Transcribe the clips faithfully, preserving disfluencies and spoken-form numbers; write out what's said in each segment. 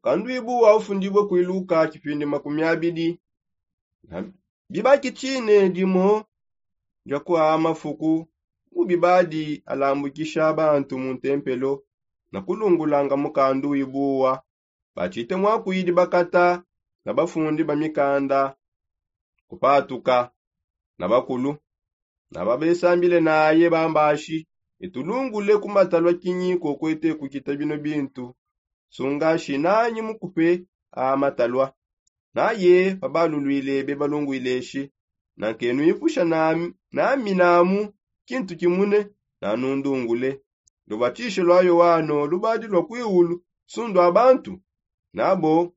Kanduibu wa ufundibue kuiluka kipindi makumi abidi. Bibaki tshine dimo dia kua mafuku mu bibadi alambukisha bantu mu ntempelo na kulungulanga mukanduibuwa. Batshite mwakuidi bakata na bafundi ba mikanda kupatuka na bakulu na babesambile naye bambashi, etulungule ku matalua kinyi kokwete kukita bino bintu? Sungashi nanyi mukupe a matalua. Naye pabalulwile bebalungwile eshi, nankenuipusha nami namu kintu kimune nanundungule. Lubatishe lwa yoano lubadi lwa kuiulu? Sundu a bantu nabo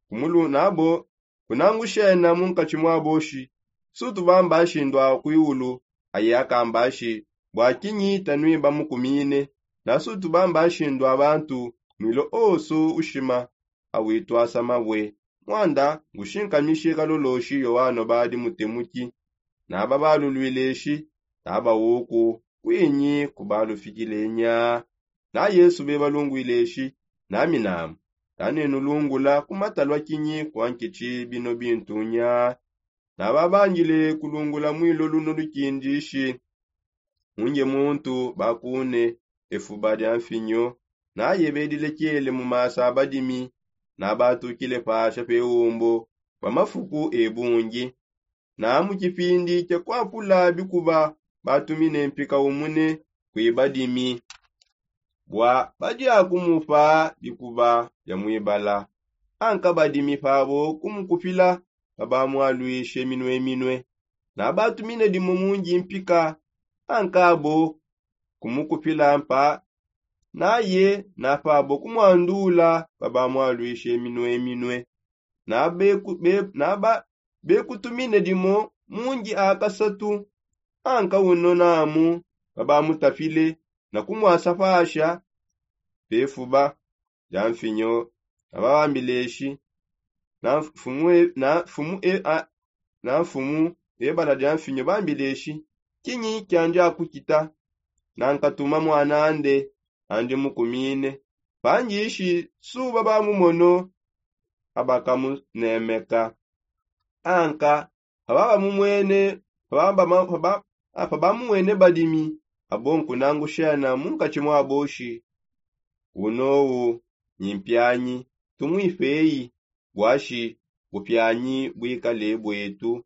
kumulu nabo kunangushena mu nkatshi mwabo shi? Sutu bamba ashindu a kuiulu aye akamba ashi bua kinyi tanuiba mukumine? Na sutu bamba ashindu a bantu mwilo osu ushima awituasa mabue. Mwanda ngushinkamishe kaloloshi yoano badi mutemuki. Naba balulwile shi naba uku kuinyi kubalufikile nya? Na yesu bebalungwile shi nami namu tanenulungula ku matalua kinyi kua nkitshi bino bintu nya? Naba bandile kulungula mwilo luno lukindishi. Munge muntu bakune efuba dia mfinyo naye bedilekele mu masa a badimi. Nabatukile pasha pe umbu bua mafuku e bungi. Na mu kipindi kia kuakula bikuba batumine mpika umune kui badimi bua badi akumupa bikuba bia muibala. Anka badimi pabo kumukupila pabamualuishe minue minue. Na batumine dimo mungi mpika anka abo kumukupila mpa naye na pabo kumuandula pabamualuishe minue minue. Naba bekutumine dimo mungi a kasatu anka uno namu babamutapile na kumuasa pasha pefuba dia mfinyo. Nababambile shi na mfumu ebala dia mfinyo bambile shi kinyi kiandi akukita? Nankatuma mwanande andi mukumine pangishi suba bamumono abakamunemeka. Anka pababamumwene pababamumwene badimi abo nkunangushena mu nkatshi mwabo shi unowu nyi mpianyi tumuipeyi bua shi bupianyi buikale buetu.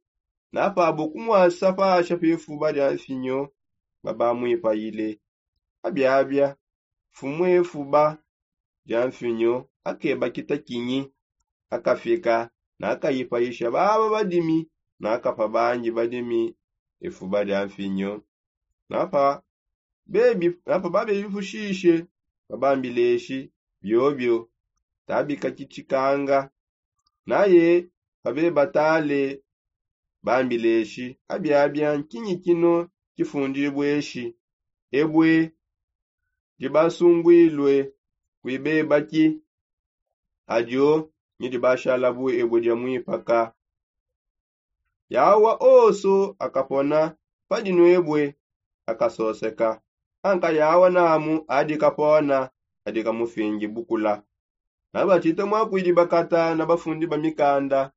Na pabo kumuasa pasha pefuba dia mfinyo babamuipayile. Abiabia mfumu efuba dia mfinyo akeba kita kinyi akafika nakayipayisha baba badimi nakapa bangi badimi efuba dia mfinyo. Napa babebipushishe babambileshi biobio tabikakitshikanga. Naye pabebatale bambileshi abiabia nkinyi kino kifundibue eshi? Ebue dibasunguilue kuibebaki adio nyi dibashala bu ebue dia muipaka. Yawa osu akapona padinuebue akasoseka. Anka yawa namu adi kapona adi kamufingi bukula. Nabatshite mwakuidi bakata na bafundi ba mikanda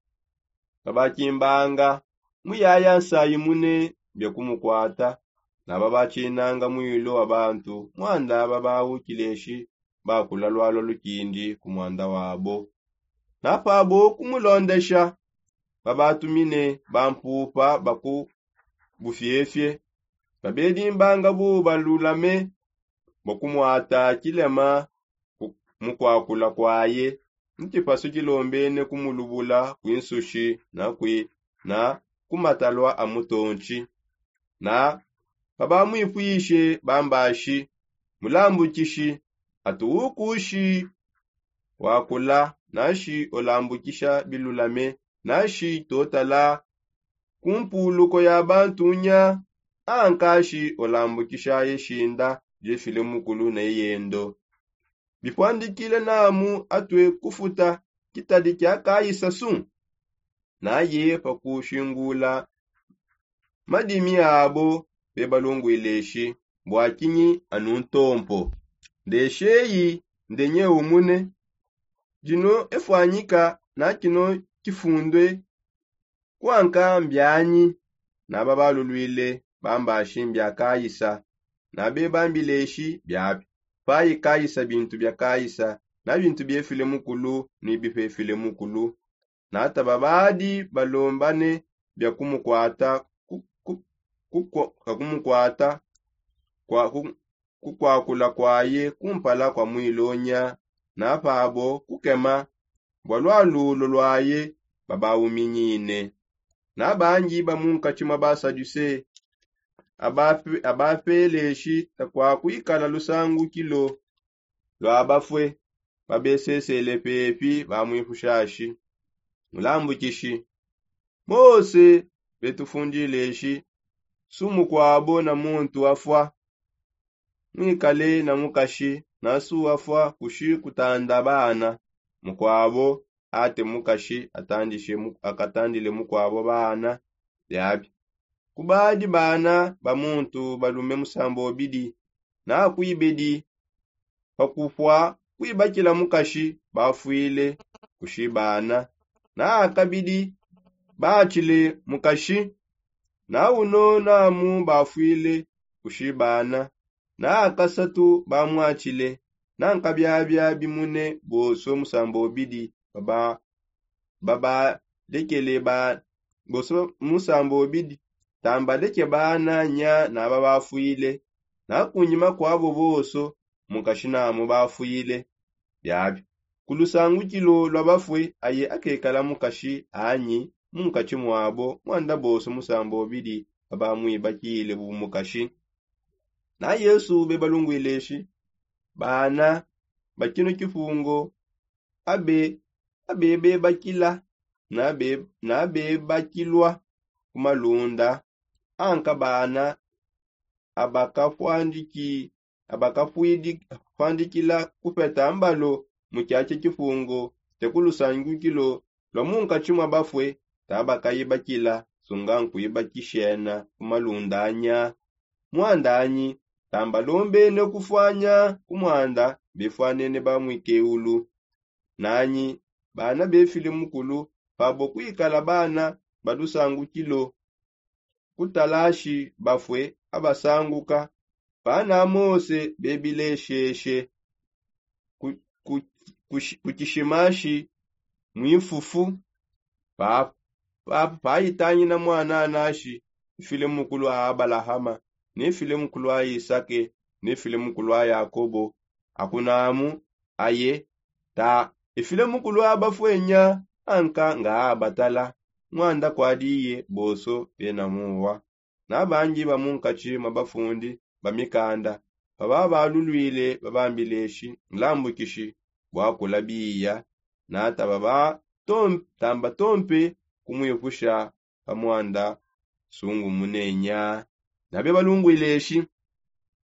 babakimbanga muyaya nsayi mune bia kumukuata. Nababatshinanga muilu wa bantu mwanda babawukileshi bakula lwalua lukindi ku mwanda wabo. Napabo kumulondesha babatumine bampupa baku bufiefie babedimbanga bu balulame bua kumuata kilema mu kuakula kuaye. Ntshipasu tshilombene kumulubula kuinsushi na kui na kumatalua a mutontshi. Na pabamuipuishe bambashi mulambukishi atu ukushi wakula nashi ulambukisha bilulame nashi totala ku mpuluko ya bantunya ankashi ulambukishaye shinda jefile mukulu ne yendo. Bipuandikile namu atue kufuta kitadi kia kayisasu. Naye pakushingula madimi abo bebalungwile eshi bua kinyi anu ntompo? Ndesheyi ndenye umune Dino efwanyika na kino kifundwe kuanka mbianyi? Naba balulwile bambashi mbia kaisa, nabe bambileshi biabi. Payi kaisa bintu bia kaisa, na bintu biefile mukulu ni bipefile mukulu. Nataba badi balombane bia kumukwata ku- ku- kukwa- ka kumukwata kwa ku- kukwakula kwaye kumpala kwa mwilonya, na pabo kukema bua lwalulo lwaye babauminyine. Na bangi ba munkatshi mua basaduse abapeleshi takua kuikala lusangukilo lua bafue, babesesele pepi bamwipushashi, mulambukishi, mose betufundileshi, su mukuabo na muntu afua, mwikale na mukashi, na su afua kushi kutanda bana, mukuabo ate mukashi atandishe mu- akatandile mukuabo bana. Biabi kubadi bana ba muntu balume musambobidi, na kuibedi pakupua kuibakila mukashi bafuile kushibana, na akabidi baatshile mukashi, na uno namu bafuile kushibana, na akasatu bamwatshile, na nkabiabia bimune bonso musambobidi baba- babadekele ba- bonso musambobidi tambaleke bana nya naba bafuile, na kunyima kuabo bonso mukashi namu bafuile. Biabi ku lusangukilo lua bafue aye akekala mukashi anyi munkatshi muabo muanda bonso musambobidi babamwibakile bu mukashi. Na yesu bebalunguileshi, bana ba kino kipungo abe abebebakila na be- na bebakilua ku malunda anka bana abakapwandiki- abakapwandikila kupeta mbalo mu kiatshia kipungo te ku lusangukilo lua munkatshi mua bafue, tabakaibakila sunga nkuibakishena ku malunda anya. Muanda anyi tambalombe ne kufuanya ku muanda befuanene ba muikeulu. Nanyi bana befile mukulu pabo kuikala bana ba lusangukilo kutalashi bafue abasanguka, bana mose bebilesheshe ku- ku- kushi- kukishimashi mwifufu. Papa papa paitangina mwana anashi, ifile mukulu a abalahama, ne ifile mukulu a isake, ne ifile mukulu a yakobo. Akunamu aye ta ifile mukulu a bafuenya anka nga abatala. Muanda kuadiye bonso bena muwa. Na bangi ba munkatshi mua bafundi ba mikanda bababalulwile babambileshi mulambukishi bua kula biya. Na taba ba tom- tamba tompe kumwipusha pa muanda sungumune nya. Nabe balunguileshi,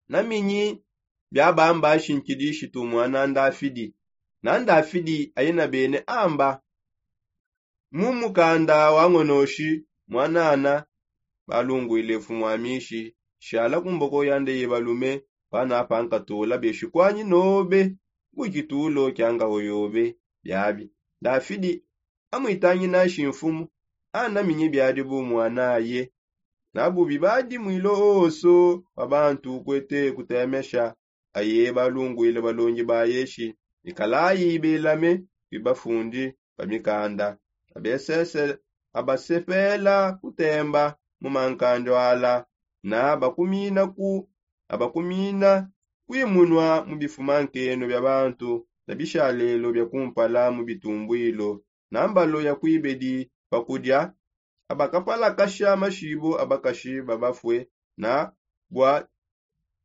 naminyi bia bamba shinkidi shitu muana ndafidi? Na ndafidi aye na bene amba mu mukanda wa ngonoshi muanana. Balunguile mfumu wa mishi shala ku mboko yande ye balume, panapa nkatula beshikuanyi nobe mu kitulo kia ngaho yobe. Biabi ndafidi amwitanginashi mfumu, anaminyi biadi bu muanaye. Na bubi badi mwilo oso pa bantu kuete kutemesha. Aye balunguile balongi baye shi, ikalayi belame kwi bafundi ba mikanda. Abesese abasepela kutemba mu mankandi ala, na abakumina ku abakumina kwimunua mu bifuma nkenu bia bantu na bishalelo bia kumpala mu bitumbuilo na mbalo ya kuibedi pa kudia. Abakapalakasha mashibo a bakashi ba bafue na bua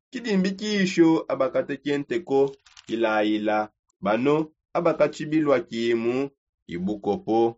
kidimbikisho abakateke nteko kilayila. Bano abakatshibilua kimu ibukopo.